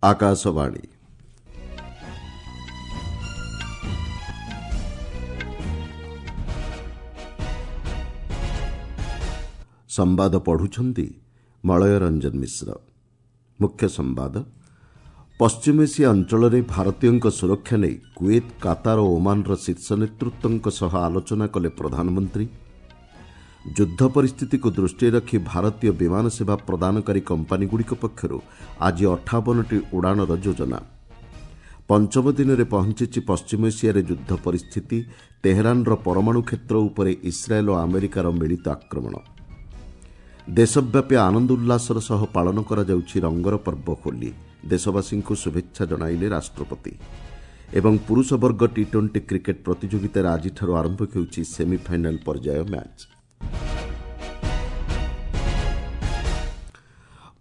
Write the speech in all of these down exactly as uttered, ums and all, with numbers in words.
ଆକାଶବାଣୀ ସମ୍ବାଦ ପଢୁଛନ୍ତି ମଳୟ ରଞ୍ଜନ ମିଶ୍ର। ମୁଖ୍ୟ ସମ୍ବାଦ। ପଶ୍ଚିମ ଏସିଆ ଅଞ୍ଚଳରେ ଭାରତୀୟଙ୍କ ସୁରକ୍ଷା ନେଇ କୁଏତ, କାତାର ଓ ଓମାନର ଶୀର୍ଷ ନେତୃତ୍ୱଙ୍କ ସହ ଆଲୋଚନା କଲେ ପ୍ରଧାନମନ୍ତ୍ରୀ। ଯୁଦ୍ଧ ପରିସ୍ଥିତିକୁ ଦୃଷ୍ଟିରେ ରଖି ଭାରତୀୟ ବିମାନ ସେବା ପ୍ରଦାନକାରୀ କମ୍ପାନୀଗୁଡ଼ିକ ପକ୍ଷରୁ ଆଜି ଅଠାବନଟି ଉଡ଼ାଣର ଯୋଜନା। ପଞ୍ଚମ ଦିନରେ ପହଞ୍ଚିଛି ପଶ୍ଚିମ ଏସିଆରେ ଯୁଦ୍ଧ ପରିସ୍ଥିତି। ତେହେରାନର ପରମାଣୁ କ୍ଷେତ୍ର ଉପରେ ଇସ୍ରାଏଲ୍ ଓ ଆମେରିକାର ମିଳିତ ଆକ୍ରମଣ। ଦେଶବ୍ୟାପୀ ଆନନ୍ଦ ଉଲ୍ଲାସର ସହ ପାଳନ କରାଯାଉଛି ରଙ୍ଗର ପର୍ବ ହୋଲି। ଦେଶବାସୀଙ୍କୁ ଶୁଭେଚ୍ଛା ଜଣାଇଲେ ରାଷ୍ଟ୍ରପତି। ଏବଂ ପୁରୁଷ ବର୍ଗ ଟି ଟ୍ୱେଣ୍ଟି କ୍ରିକେଟ୍ ପ୍ରତିଯୋଗିତାରେ ଆଜିଠାରୁ ଆରମ୍ଭ ହେଉଛି ସେମିଫାଇନାଲ୍ ପର୍ଯ୍ୟାୟ ମ୍ୟାଚ୍।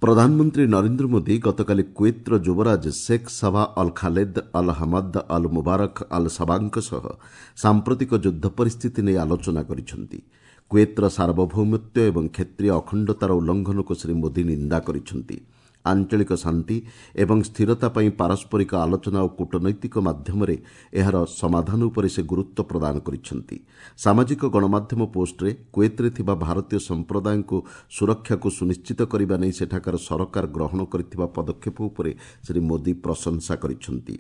ପ୍ରଧାନମନ୍ତ୍ରୀ ନରେନ୍ଦ୍ର ମୋଦି ଗତକାଲି କୁଏତ୍ର ଯୁବରାଜ Sheikh Sabah Al Khaled Al Hamad Al Mubarak Al ସବାଙ୍କ ସହ ସାମ୍ପ୍ରତିକ ଯୁଦ୍ଧ ପରିସ୍ଥିତି ନେଇ ଆଲୋଚନା କରିଛନ୍ତି। କୁଏତ୍ର ସାର୍ବଭୌମତ୍ୱ ଏବଂ କ୍ଷେତ୍ରୀୟ ଅଖଣ୍ଡତାର ଉଲ୍ଲଂଘନକୁ ଶ୍ରୀ ମୋଦି ନିନ୍ଦା କରିଛନ୍ତି। ଆଞ୍ଚଳିକ ଶାନ୍ତି ଏବଂ ସ୍ଥିରତା ପାଇଁ ପାରସ୍ପରିକ ଆଲୋଚନା ଓ କୂଟନୈତିକ ମାଧ୍ୟମରେ ଏହାର ସମାଧାନ ଉପରେ ସେ ଗୁରୁତ୍ୱ ପ୍ରଦାନ କରିଛନ୍ତି। ସାମାଜିକ ଗଣମାଧ୍ୟମ ପୋଷ୍ଟରେ କୁଏତରେ ଥିବା ଭାରତୀୟ ସମ୍ପ୍ରଦାୟଙ୍କୁ ସୁରକ୍ଷାକୁ ସୁନିଶ୍ଚିତ କରିବା ନେଇ ସେଠାକାର ସରକାର ଗ୍ରହଣ କରିଥିବା ପଦକ୍ଷେପ ଉପରେ ଶ୍ରୀ ମୋଦି ପ୍ରଶଂସା କରିଛନ୍ତି।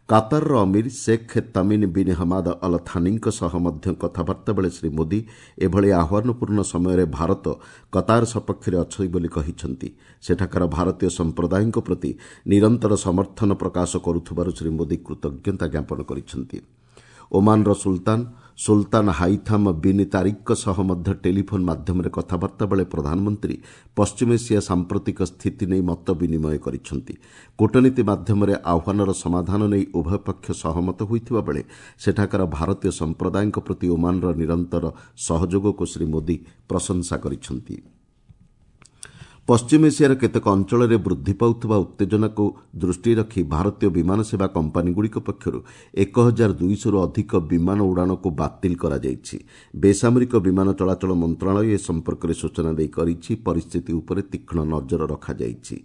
କାତାରର ଅମୀର Sheikh Tamim bin Hamad Al ଥାନିଙ୍କ ସହ ମଧ୍ୟ କଥାବାର୍ତ୍ତା ବେଳେ ଶ୍ରୀ ମୋଦି ଏଭଳି ଆହ୍ୱାନପୂର୍ଣ୍ଣ ସମୟରେ ଭାରତ କତାର ସପକ୍ଷରେ ଅଛି ବୋଲି କହିଛନ୍ତି। ସେଠାକାର ଭାରତୀୟ ସମ୍ପ୍ରଦାୟଙ୍କ ପ୍ରତି ନିରନ୍ତର ସମର୍ଥନ ପ୍ରକାଶ କରୁଥିବାରୁ ଶ୍ରୀ ମୋଦି କୃତଜ୍ଞତା ଜ୍ଞାପନ କରିଛନ୍ତି। ଓମାନର ସୁଲତାନ ସୁଲତାନ ହାଇଥାମ୍ ବିନ୍ ତାରିକ୍ଙ୍କ ସହ ମଧ୍ୟ ଟେଲିଫୋନ୍ ମାଧ୍ୟମରେ କଥାବାର୍ତ୍ତା ବେଳେ ପ୍ରଧାନମନ୍ତ୍ରୀ ପଶ୍ଚିମ ଏସିଆ ସାମ୍ପ୍ରତିକ ସ୍ଥିତି ନେଇ ମତ ବିନିମୟ କରିଛନ୍ତି। କୂଟନୀତି ମାଧ୍ୟମରେ ଆହ୍ୱାନର ସମାଧାନ ନେଇ ଉଭୟ ପକ୍ଷ ସହମତ ହୋଇଥିବା ବେଳେ ସେଠାକାର ଭାରତୀୟ ସମ୍ପ୍ରଦାୟଙ୍କ ପ୍ରତି ଓମାନର ନିରନ୍ତର ସହଯୋଗକୁ ଶ୍ରୀ ମୋଦି ପ୍ରଶଂସା କରିଛନ୍ତି। ପଶ୍ଚିମ ଏସିଆର କେତେକ ଅଞ୍ଚଳରେ ବୃଦ୍ଧି ପାଉଥିବା ଉତ୍ତେଜନାକୁ ଦୃଷ୍ଟିରେ ରଖି ଭାରତୀୟ ବିମାନ ସେବା କମ୍ପାନୀଗୁଡ଼ିକ ପକ୍ଷରୁ ଏକ ହଜାର ଦୁଇଶହରୁ ଅଧିକ ବିମାନ ଉଡ଼ାଣକୁ ବାତିଲ କରାଯାଇଛି। ବେସାମରିକ ବିମାନ ଚଳାଚଳ ମନ୍ତ୍ରଣାଳୟ ଏ ସମ୍ପର୍କରେ ସୂଚନା ଦେଇ କହିଛି, ପରିସ୍ଥିତି ଉପରେ ତୀକ୍ଷ୍ଣ ନଜର ରଖାଯାଇଛି।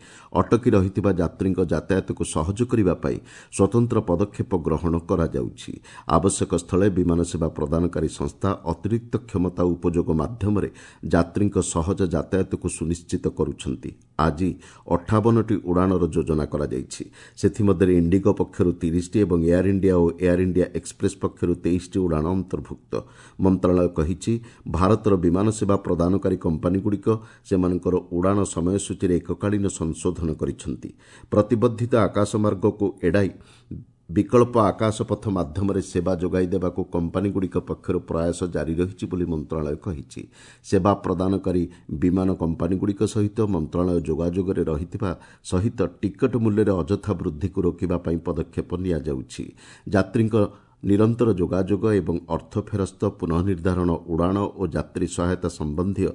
ଅଟକି ରହିଥିବା ଯାତ୍ରୀଙ୍କ ଯାତାୟାତକୁ ସହଜ କରିବା ପାଇଁ ସ୍ୱତନ୍ତ୍ର ପଦକ୍ଷେପ ଗ୍ରହଣ କରାଯାଉଛି। ଆବଶ୍ୟକ ସ୍ଥଳେ ବିମାନ ସେବା ପ୍ରଦାନକାରୀ ସଂସ୍ଥା ଅତିରିକ୍ତ କ୍ଷମତା ଉପଯୋଗ ମାଧ୍ୟମରେ ଯାତ୍ରୀଙ୍କ ସହଜ ଯାତାୟାତକୁ ସୁନିଶ୍ଚିତ କରୁଛି। ଆଜି ଅଠାବନଟି ଉଡ଼ାଣର ଯୋଜନା କରାଯାଇଛି। ସେଥିମଧ୍ୟରେ ଇଣ୍ଡିଗୋ ପକ୍ଷରୁ ତିରିଶଟି ଏବଂ ଏୟାର ଇଣ୍ଡିଆ ଓ ଏୟାର ଇଣ୍ଡିଆ ଏକ୍ସପ୍ରେସ୍ ପକ୍ଷରୁ ତେଇଶଟି ଉଡ଼ାଣ ଅନ୍ତର୍ଭୁକ୍ତ। ମନ୍ତ୍ରଣାଳୟ କହିଛି, ଭାରତର ବିମାନ ସେବା ପ୍ରଦାନକାରୀ କମ୍ପାନୀଗୁଡ଼ିକ ସେମାନଙ୍କର ଉଡ଼ାଣ ସମୟସୂଚୀରେ ଏକକାଳୀନ ସଂଶୋଧନ କରିଛନ୍ତି। ପ୍ରତିବନ୍ଧିତ ଆକାଶମାର୍ଗକୁ ଏଡ଼ାଇ ବିକଳ୍ପ ଆକାଶପଥ ମାଧ୍ୟମରେ ସେବା ଯୋଗାଇ ଦେବାକୁ କମ୍ପାନୀଗୁଡ଼ିକ ପକ୍ଷରୁ ପ୍ରୟାସ ଜାରି ରହିଛି ବୋଲି ମନ୍ତ୍ରଣାଳୟ କହିଛି। ସେବା ପ୍ରଦାନକାରୀ ବିମାନ କମ୍ପାନୀଗୁଡ଼ିକ ସହିତ ମନ୍ତ୍ରଣାଳୟ ଯୋଗାଯୋଗରେ ରହିଥିବା ସହିତ ଟିକଟ ମୂଲ୍ୟରେ ଅଯଥା ବୃଦ୍ଧିକୁ ରୋକିବା ପାଇଁ ପଦକ୍ଷେପ ନିଆଯାଉଛି। ଯାତ୍ରୀଙ୍କ ନିରନ୍ତର ଯୋଗାଯୋଗ ଏବଂ ଅର୍ଥ ଫେରସ୍ତ, ପୁନଃନିର୍ଦ୍ଧାରଣ ଉଡ଼ାଣ ଓ ଯାତ୍ରୀ ସହାୟତା ସମ୍ବନ୍ଧୀୟ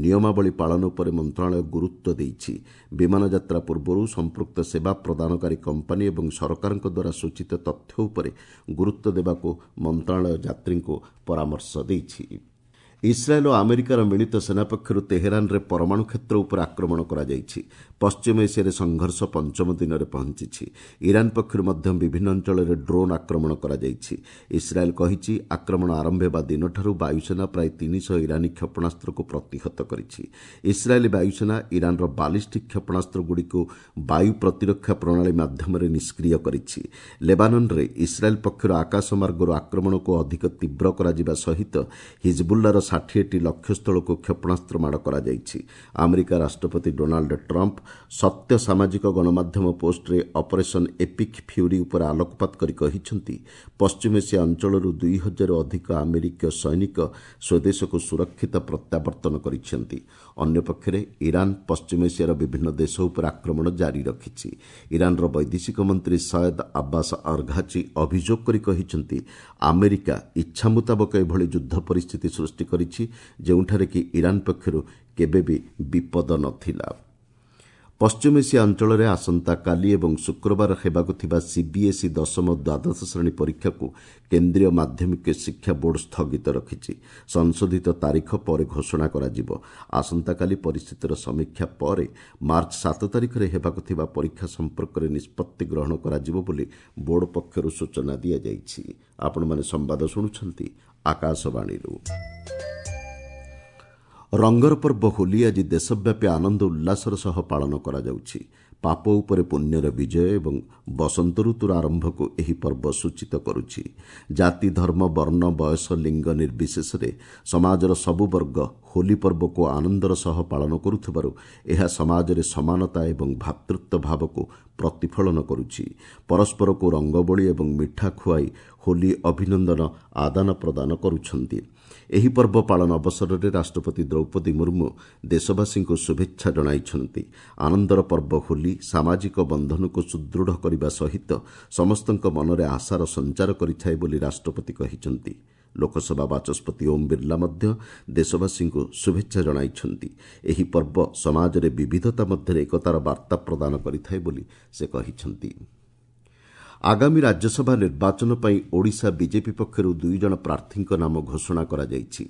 ନିୟମାବଳୀ ପାଳନ ଉପରେ ମନ୍ତ୍ରଣାଳୟ ଗୁରୁତ୍ୱ ଦେଇଛି। ବିମାନ ଯାତ୍ରା ପୂର୍ବରୁ ସମ୍ପୃକ୍ତ ସେବା ପ୍ରଦାନକାରୀ କମ୍ପାନୀ ଏବଂ ସରକାରଙ୍କ ଦ୍ୱାରା ସୂଚିତ ତଥ୍ୟ ଉପରେ ଗୁରୁତ୍ୱ ଦେବାକୁ ମନ୍ତ୍ରଣାଳୟ ଯାତ୍ରୀଙ୍କୁ ପରାମର୍ଶ ଦେଇଛି। ଇସ୍ରାଏଲ୍ ଓ ଆମେରିକାର ମିଳିତ ସେନା ପକ୍ଷରୁ ତେହେରାନରେ ପରମାଣୁ କ୍ଷେତ୍ର ଉପରେ ଆକ୍ରମଣ କରାଯାଇଛି। ପଶ୍ଚିମ ଏସିଆରେ ସଂଘର୍ଷ ପଞ୍ଚମ ଦିନରେ ପହଞ୍ଚିଛି। ଇରାନ ପକ୍ଷରୁ ମଧ୍ୟ ବିଭିନ୍ନ ଅଞ୍ଚଳରେ ଡ୍ରୋନ୍ ଆକ୍ରମଣ କରାଯାଇଛି। ଇସ୍ରାଏଲ୍ କହିଛି, ଆକ୍ରମଣ ଆରମ୍ଭ ହେବା ଦିନଠାରୁ ବାୟୁସେନା ପ୍ରାୟ ତିନିଶହ ଇରାନୀ କ୍ଷେପଣାସ୍ତ୍ରକୁ ପ୍ରତିହତ କରିଛି। ଇସ୍ରାଏଲ୍ ବାୟୁସେନା ଇରାନର ବାଲିଷ୍ଟିକ୍ କ୍ଷେପଣାସ୍ତ୍ରଗୁଡ଼ିକୁ ବାୟୁ ପ୍ରତିରକ୍ଷା ପ୍ରଣାଳୀ ମାଧ୍ୟମରେ ନିଷ୍କ୍ରିୟ କରିଛି। ଲେବାନନରେ ଇସ୍ରାଏଲ୍ ପକ୍ଷରୁ ଆକାଶମାର୍ଗରୁ ଆକ୍ରମଣକୁ ଅଧିକ ତୀବ୍ର କରାଯିବା ସହିତ ହିଜବୁଲ୍ଲାର ଷାଠିଏଟି ଲକ୍ଷ୍ୟସ୍ଥଳକୁ କ୍ଷେପଣାସ୍ତ୍ର ମାଡ଼ କରାଯାଇଛି। ଆମେରିକା ରାଷ୍ଟ୍ରପତି ଡୋନାଲ୍ଡ ଟ୍ରମ୍ପ ସତ୍ୟ ସାମାଜିକ ଗଣମାଧ୍ୟମ ପୋଷ୍ଟରେ ଅପରେସନ୍ ଏପିକ୍ ଫ୍ୟୁରି ଉପରେ ଆଲୋକପାତ କରି କହିଛନ୍ତି, ପଶ୍ଚିମ ଏସିଆ ଅଞ୍ଚଳରୁ ଦୁଇ ହଜାରରୁ ଅଧିକ ଆମେରିକୀୟ ସୈନିକ ସ୍ୱଦେଶକୁ ସୁରକ୍ଷିତ ପ୍ରତ୍ୟାବର୍ତ୍ତନ କରିଛନ୍ତି। ଅନ୍ୟପକ୍ଷରେ ଇରାନ ପଶ୍ଚିମ ଏସିଆର ବିଭିନ୍ନ ଦେଶ ଉପରେ ଆକ୍ରମଣ ଜାରି ରଖିଛି। ଇରାନର ବୈଦେଶିକ ମନ୍ତ୍ରୀ ସୟଦ ଆବ୍ବାସ ଅର୍ଘାଚି ଅଭିଯୋଗ କରି କହିଛନ୍ତି, ଆମେରିକା ଇଚ୍ଛା ମୁତାବକ ଏଭଳି ଯୁଦ୍ଧ ପରିସ୍ଥିତି ସୃଷ୍ଟି କରିଛି, ଯେଉଁଠାରେ କି ଇରାନ ପକ୍ଷରୁ କେବେ ବି ବିପଦ ନଥିଲା। ପଶ୍ଚିମ ଏସିଆ ଅଞ୍ଚଳରେ ଆସନ୍ତାକାଲି ଏବଂ ଶୁକ୍ରବାର ହେବାକୁ ଥିବା ସିବିଏସ୍ଇ ଦଶମ ଦ୍ୱାଦଶ ଶ୍ରେଣୀ ପରୀକ୍ଷାକୁ କେନ୍ଦ୍ରୀୟ ମାଧ୍ୟମିକ ଶିକ୍ଷା ବୋର୍ଡ ସ୍ଥଗିତ ରଖିଛି। ସଂଶୋଧିତ ତାରିଖ ପରେ ଘୋଷଣା କରାଯିବ। ଆସନ୍ତାକାଲି ପରିସ୍ଥିତିର ସମୀକ୍ଷା ପରେ ମାର୍ଚ୍ଚ ସାତ ତାରିଖରେ ହେବାକୁ ଥିବା ପରୀକ୍ଷା ସମ୍ପର୍କରେ ନିଷ୍ପତ୍ତି ଗ୍ରହଣ କରାଯିବ ବୋଲି ବୋର୍ଡ ପକ୍ଷରୁ ସୂଚନା ଦିଆଯାଇଛି। ଆପଣମାନେ ସମ୍ବାଦ ଶୁଣୁଛନ୍ତି ଆକାଶବାଣୀରୁ। ରଙ୍ଗର ପର୍ବ ହୋଲି ଆଜି ଦେଶବ୍ୟାପୀ ଆନନ୍ଦ ଉଲ୍ଲାସର ସହ ପାଳନ କରାଯାଉଛି। ପାପ ଉପରେ ପୁଣ୍ୟର ବିଜୟ ଏବଂ ବସନ୍ତ ଋତୁର ଆରମ୍ଭକୁ ଏହି ପର୍ବ ସୂଚିତ କରୁଛି। ଜାତି, ଧର୍ମ, ବର୍ଣ୍ଣ, ବୟସ, ଲିଙ୍ଗ ନିର୍ବିଶେଷରେ ସମାଜର ସବୁ ବର୍ଗ ହୋଲି ପର୍ବକୁ ଆନନ୍ଦର ସହ ପାଳନ କରୁଥିବାରୁ ଏହା ସମାଜରେ ସମାନତା ଏବଂ ଭ୍ରାତୃତ୍ୱ ଭାବକୁ ପ୍ରତିଫଳନ କରୁଛି। ପରସ୍ପରକୁ ରଙ୍ଗବୋଳି ଏବଂ ମିଠା ଖୁଆଇ ହୋଲି ଅଭିନନ୍ଦନ ଆଦାନ ପ୍ରଦାନ କରୁଛନ୍ତି। ଏହି ପର୍ବ ପାଳନ ଅବସରରେ ରାଷ୍ଟ୍ରପତି ଦ୍ରୌପଦୀ ମୁର୍ମୁ ଦେଶବାସୀଙ୍କୁ ଶୁଭେଚ୍ଛା ଜଣାଇଛନ୍ତି। ଆନନ୍ଦର ପର୍ବ ହୋଲି ସାମାଜିକ ବନ୍ଧନକୁ ସୁଦୃଢ଼ କରିବା ସହିତ ସମସ୍ତଙ୍କ ମନରେ ଆଶାର ସଞ୍ଚାର କରିଥାଏ ବୋଲି ରାଷ୍ଟ୍ରପତି କହିଛନ୍ତି। ଲୋକସଭା ବାଚସ୍ପତି ଓମ୍ ବିର୍ଲା ମଧ୍ୟ ଦେଶବାସୀଙ୍କୁ ଶୁଭେଚ୍ଛା ଜଣାଇଛନ୍ତି। ଏହି ପର୍ବ ସମାଜରେ ବିବିଧତା ମଧ୍ୟରେ ଏକତାର ବାର୍ତ୍ତା ପ୍ରଦାନ କରିଥାଏ ବୋଲି ସେ କହିଛନ୍ତି। ଆଗାମୀ ରାଜ୍ୟସଭା ନିର୍ବାଚନ ପାଇଁ ଓଡ଼ିଶା ବିଜେପି ପକ୍ଷରୁ ଦୁଇ ଜଣ ପ୍ରାର୍ଥୀଙ୍କ ନାମ ଘୋଷଣା କରାଯାଇଛି।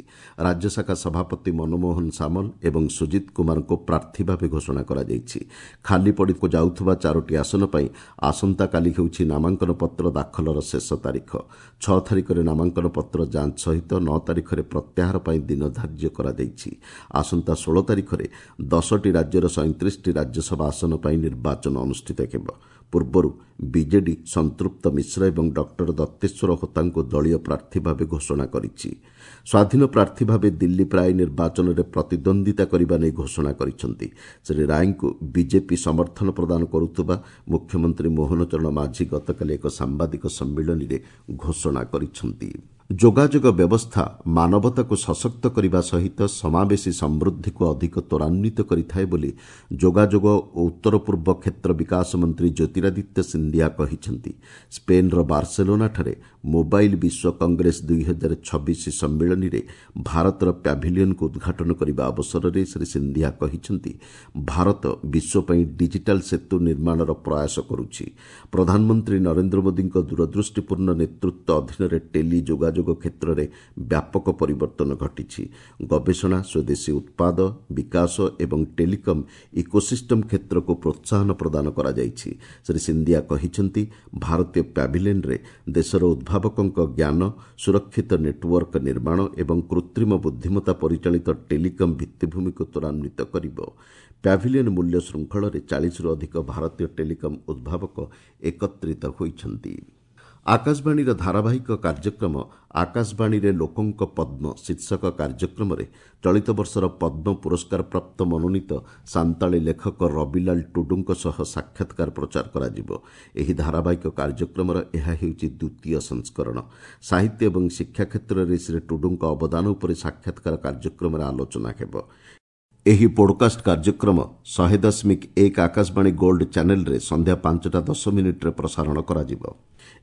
ରାଜ୍ୟଶାଖା ସଭାପତି ମନମୋହନ ସାମଲ ଏବଂ ସୁଜିତ କୁମାରଙ୍କୁ ପ୍ରାର୍ଥୀ ଭାବେ ଘୋଷଣା କରାଯାଇଛି। ଖାଲି ପଡ଼ିକୁ ଯାଉଥିବା ଚାରୋଟି ଆସନ ପାଇଁ ଆସନ୍ତାକାଲି ହେଉଛି ନାମାଙ୍କନ ପତ୍ର ଦାଖଲର ଶେଷ ତାରିଖ। ଛଅ ତାରିଖରେ ନାମାଙ୍କନ ପତ୍ର ଯାଞ୍ଚ ସହିତ ନଅ ତାରିଖରେ ପ୍ରତ୍ୟାହାର ପାଇଁ ଦିନ ଧାର୍ଯ୍ୟ କରାଯାଇଛି। ଆସନ୍ତା ଷୋହଳ ତାରିଖରେ ଦଶଟି ରାଜ୍ୟର ସଇଁତିରିଶଟି ରାଜ୍ୟସଭା ଆସନ ପାଇଁ ନିର୍ବାଚନ ଅନୁଷ୍ଠିତ ହେବ। ପୂର୍ବରୁ ବିଜେଡି ସଂତୃପ୍ତ ମିଶ୍ର ଏବଂ ଡକ୍ଟର ଦତ୍ତେଶ୍ୱର ହୋତାଙ୍କୁ ଦଳୀୟ ପ୍ରାର୍ଥୀ ଭାବେ ଘୋଷଣା କରିଛି। ସ୍ୱାଧୀନ ପ୍ରାର୍ଥୀ ଭାବେ ଦିଲ୍ଲୀପ ରାୟ ନିର୍ବାଚନରେ ପ୍ରତିଦ୍ୱନ୍ଦ୍ୱିତା କରିବା ନେଇ ଘୋଷଣା କରିଛନ୍ତି। ଶ୍ରୀ ରାୟଙ୍କୁ ବିଜେପି ସମର୍ଥନ ପ୍ରଦାନ କରୁଥିବା ମୁଖ୍ୟମନ୍ତ୍ରୀ ମୋହନ ଚରଣ ମାଝୀ ଗତକାଲି ଏକ ସାମ୍ବାଦିକ ସମ୍ମିଳନୀରେ ଘୋଷଣା କରିଛନ୍ତି। ଯୋଗାଯୋଗ ବ୍ୟବସ୍ଥା ମାନବତାକୁ ସଶକ୍ତ କରିବା ସହିତ ସମାବେଶୀ ସମୃଦ୍ଧିକୁ ଅଧିକ ତ୍ୱରାନ୍ୱିତ କରିଥାଏ ବୋଲି ଯୋଗାଯୋଗ ଓ ଉତ୍ତର ପୂର୍ବ କ୍ଷେତ୍ର ବିକାଶ ମନ୍ତ୍ରୀ ଜ୍ୟୋତିରାଦିତ୍ୟ ସିନ୍ଧିଆ କହିଛନ୍ତି। ସ୍ପେନ୍ର ବାର୍ସେଲୋନାଠାରେ ମୋବାଇଲ୍ ବିଶ୍ୱ କଂଗ୍ରେସ ଦୁଇ ହଜାର ଛବିଶ ସମ୍ମିଳନୀରେ ଭାରତର ପ୍ୟାଭିଲିୟନକୁ ଉଦ୍ଘାଟନ କରିବା ଅବସରରେ ଶ୍ରୀ ସିନ୍ଧିଆ କହିଛନ୍ତି, ଭାରତ ବିଶ୍ୱ ପାଇଁ ଡିଜିଟାଲ୍ ସେତୁ ନିର୍ମାଣର ପ୍ରୟାସ କରୁଛି। ପ୍ରଧାନମନ୍ତ୍ରୀ ନରେନ୍ଦ୍ର ମୋଦିଙ୍କ ଦୂରଦୃଷ୍ଟିପୂର୍ଣ୍ଣ ନେତୃତ୍ୱ ଅଧୀନରେ ଟେଲି ଯୋଗାଯୋଗ କ୍ଷେତ୍ରରେ ବ୍ୟାପକ ପରିବର୍ତ୍ତନ ଘଟିଛି। ଗବେଷଣା, ସ୍ୱଦେଶୀ ଉତ୍ପାଦ ବିକାଶ ଏବଂ ଟେଲିକମ୍ ଇକୋସିଷ୍ଟମ୍ କ୍ଷେତ୍ରକୁ ପ୍ରୋତ୍ସାହନ ପ୍ରଦାନ କରାଯାଇଛି। ଶ୍ରୀ ସିନ୍ଧିଆ କହିଛନ୍ତି, ଭାରତୀୟ ପ୍ୟାଭିଲିୟନରେ ଦେଶର ଉଦ୍ଭାବକଙ୍କ ଜ୍ଞାନ, ସୁରକ୍ଷିତ ନେଟୱାର୍କ ନିର୍ମାଣ ଏବଂ କୃତ୍ରିମ ବୁଦ୍ଧିମତ୍ତା ପରିଚାଳିତ ଟେଲିକମ୍ ଭିତ୍ତିଭୂମିକୁ ତ୍ୱରାନ୍ୱିତ କରିବ। ପ୍ୟାଭିଲିୟନ ମୂଲ୍ୟ ଶୃଙ୍ଖଳରେ ଚାଳିଶରୁ ଅଧିକ ଭାରତୀୟ ଟେଲିକମ୍ ଉଦ୍ଭାବକ ଏକତ୍ରିତ ହୋଇଛନ୍ତି। ଆକାଶବାଣୀର ଧାରାବାହିକ କାର୍ଯ୍ୟକ୍ରମ ଆକାଶବାଣୀରେ ଲୋକଙ୍କ ପଦ୍ମ ଶୀର୍ଷକ କାର୍ଯ୍ୟକ୍ରମରେ ଚଳିତ ବର୍ଷର ପଦ୍ମ ପୁରସ୍କାର ପ୍ରାପ୍ତ ମନୋନୀତ ସାନ୍ତାଳୀ ଲେଖକ ରବିଲାଲ ଟୁଡୁଙ୍କ ସହ ସାକ୍ଷାତକାର ପ୍ରଚାର କରାଯିବ। ଏହି ଧାରାବାହିକ କାର୍ଯ୍ୟକ୍ରମର ଏହା ହେଉଛି ଦ୍ୱିତୀୟ ସଂସ୍କରଣ। ସାହିତ୍ୟ ଏବଂ ଶିକ୍ଷା କ୍ଷେତ୍ରରେ ଶ୍ରୀ ଟୁଡୁଙ୍କ ଅବଦାନ ଉପରେ ସାକ୍ଷାତକାର କାର୍ଯ୍ୟକ୍ରମରେ ଆଲୋଚନା ହେବ। ଏହି ପୋଡକାଷ୍ଟ କାର୍ଯ୍ୟକ୍ରମ ଶହେ ଦଶମିକ ଏକ ଆକାଶବାଣୀ ଗୋଲ୍ଡ ଚ୍ୟାନେଲରେ ସନ୍ଧ୍ୟା ପାଞ୍ଚଟା ଦଶ ମିନିଟ୍ରେ ପ୍ରସାରଣ କରାଯିବ।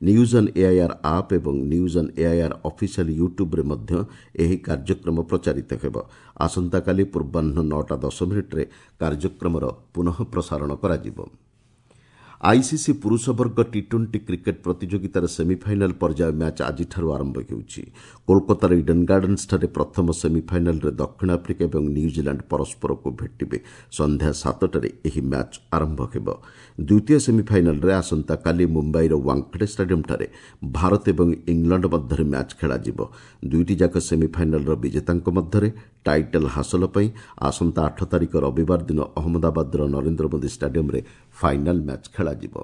ନ୍ୟୁଜ୍ ଅନ୍ ଏଆଇଆର୍ ଆପ୍ ଏବଂ ନ୍ୟୁଜ୍ ଅନ୍ ଏଆଇଆର୍ ଅଫିସିଆଲ୍ ୟୁଟ୍ୟୁବ୍ରେ ମଧ୍ୟ ଏହି କାର୍ଯ୍ୟକ୍ରମ ପ୍ରଚାରିତ ହେବ। ଆସନ୍ତାକାଲି ପୂର୍ବାହ୍ନ ନଅଟା ଦଶ ମିନିଟ୍ରେ କାର୍ଯ୍ୟକ୍ରମର ପୁନଃ ପ୍ରସାରଣ କରାଯିବ। ଆଇସିସି ପୁରୁଷ ବର୍ଗ ଟି ଟ୍ୱେଣ୍ଟି କ୍ରିକେଟ୍ ପ୍ରତିଯୋଗିତାର ସେମିଫାଇନାଲ୍ ପର୍ଯ୍ୟାୟ ମ୍ୟାଚ୍ ଆଜିଠାରୁ ଆରମ୍ଭ ହେଉଛି। କୋଲକାତାର ଇଡେନ୍ ଗାର୍ଡେନ୍ସଠାରେ ପ୍ରଥମ ସେମିଫାଇନାଲ୍ରେ ଦକ୍ଷିଣ ଆଫ୍ରିକା ଏବଂ ନ୍ୟୁଜିଲାଣ୍ଡ ପରସ୍ପରକୁ ଭେଟିବେ। ସନ୍ଧ୍ୟା ସାତଟାରେ ଏହି ମ୍ୟାଚ୍ ଆରମ୍ଭ ହେବ। ଦ୍ୱିତୀୟ ସେମିଫାଇନାଲ୍ରେ ଆସନ୍ତାକାଲି ମୁମ୍ବାଇର ୱାଙ୍ଗଖେଡେ ଷ୍ଟାଡିୟମ୍ଠାରେ ଭାରତ ଏବଂ ଇଂଲଣ୍ଡ ମଧ୍ୟରେ ମ୍ୟାଚ୍ ଖେଳାଯିବ। ଦୁଇଟି ଯାକ ସେମିଫାଇନାଲ୍ର ବିଜେତାଙ୍କ ମଧ୍ୟରେ ଟାଇଟଲ୍ ହାସଲ ପାଇଁ ଆସନ୍ତା ଆଠ ତାରିଖ ରବିବାର ଦିନ ଅହମ୍ମଦାବାଦର ନରେନ୍ଦ୍ର ମୋଦି ଷ୍ଟାଡିୟମ୍ରେ ଫାଇନାଲ୍ ମ୍ୟାଚ୍ ଖେଳାଯିବ।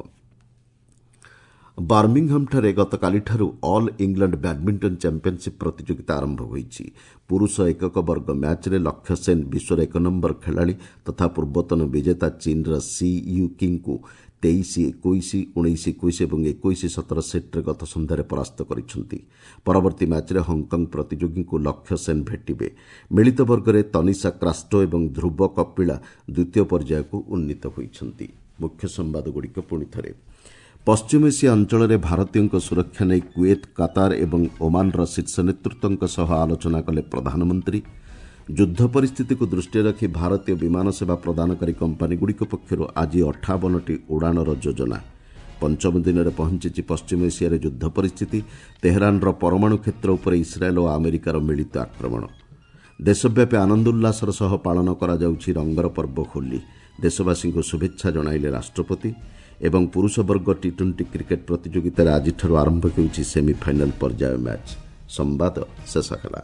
ବାର୍ମିଂହାମ୍ଠାରେ ଗତକାଲିଠାରୁ ଅଲ୍ ଇଂଲଣ୍ଡ ବ୍ୟାଡ୍ମିଣ୍ଟନ ଚାମ୍ପିୟନସିପ୍ ପ୍ରତିଯୋଗିତା ଆରମ୍ଭ ହୋଇଛି। ପୁରୁଷ ଏକକ ବର୍ଗ ମ୍ୟାଚ୍ରେ ଲକ୍ଷ୍ୟ ସେନ୍ ବିଶ୍ୱର ଏକ ନମ୍ବର ଖେଳାଳି ତଥା ପୂର୍ବତନ ବିଜେତା ଚୀନ୍ର ସି you କିଙ୍କୁ ତେଇଶ ଏକୋଇଶ, ଉଣେଇଶ ଏକୋଇଶ ଏବଂ ଏକୋଇଶ ସତର ସେଟ୍ରେ ଗତ ସନ୍ଧ୍ୟାରେ ପରାସ୍ତ କରିଛନ୍ତି। ପରବର୍ତ୍ତୀ ମ୍ୟାଚ୍ରେ ହଂକଂ ପ୍ରତିଯୋଗୀଙ୍କୁ ଲକ୍ଷ୍ୟ ସେନ୍ ଭେଟିବେ। ମିଳିତ ବର୍ଗରେ ତନିଷା କ୍ରାଷ୍ଟୋ ଏବଂ ଧ୍ରୁବ କପିଳା ଦ୍ୱିତୀୟ ପର୍ଯ୍ୟାୟକୁ ଉନ୍ନୀତ ହୋଇଛନ୍ତି। ମୁଖ୍ୟ ସମ୍ବାଦଗୁଡ଼ିକ ପୁଣି ଥରେ। ପଶ୍ଚିମ ଏସିଆ ଅଞ୍ଚଳରେ ଭାରତୀୟଙ୍କ ସୁରକ୍ଷା ନେଇ କୁଏତ, କାତାର ଏବଂ ଓମାନର ଶୀର୍ଷ ନେତୃତ୍ୱଙ୍କ ସହ ଆଲୋଚନା କଲେ ପ୍ରଧାନମନ୍ତ୍ରୀ। ଯୁଦ୍ଧ ପରିସ୍ଥିତିକୁ ଦୃଷ୍ଟିରେ ରଖି ଭାରତୀୟ ବିମାନ ସେବା ପ୍ରଦାନକାରୀ କମ୍ପାନୀଗୁଡ଼ିକ ପକ୍ଷରୁ ଆଜି ଅଠାବନଟି ଉଡ଼ାଣର ଯୋଜନା। ପଞ୍ଚମ ଦିନରେ ପହଞ୍ଚିଛି ପଶ୍ଚିମ ଏସିଆରେ ଯୁଦ୍ଧ ପରିସ୍ଥିତି। ତେହେରାନର ପରମାଣୁ କ୍ଷେତ୍ର ଉପରେ ଇସ୍ରାଏଲ୍ ଓ ଆମେରିକାର ମିଳିତ ଆକ୍ରମଣ। ଦେଶବ୍ୟାପୀ ଆନନ୍ଦ ଉଲ୍ଲାସର ସହ ପାଳନ କରାଯାଉଛି ରଙ୍ଗର ପର୍ବ ହୋଲି। ଦେଶବାସୀଙ୍କୁ ଶୁଭେଚ୍ଛା ଜଣାଇଲେ ରାଷ୍ଟ୍ରପତି। ଏବଂ ପୁରୁଷ ବର୍ଗ ଟି ଟ୍ୱେଣ୍ଟି କ୍ରିକେଟ୍ ପ୍ରତିଯୋଗିତାରେ ଆଜିଠାରୁ ଆରମ୍ଭ ହେଉଛି ସେମିଫାଇନାଲ୍ ପର୍ଯ୍ୟାୟ ମ୍ୟାଚ୍। ସମ୍ବାଦ ଶେଷ ହେଲା।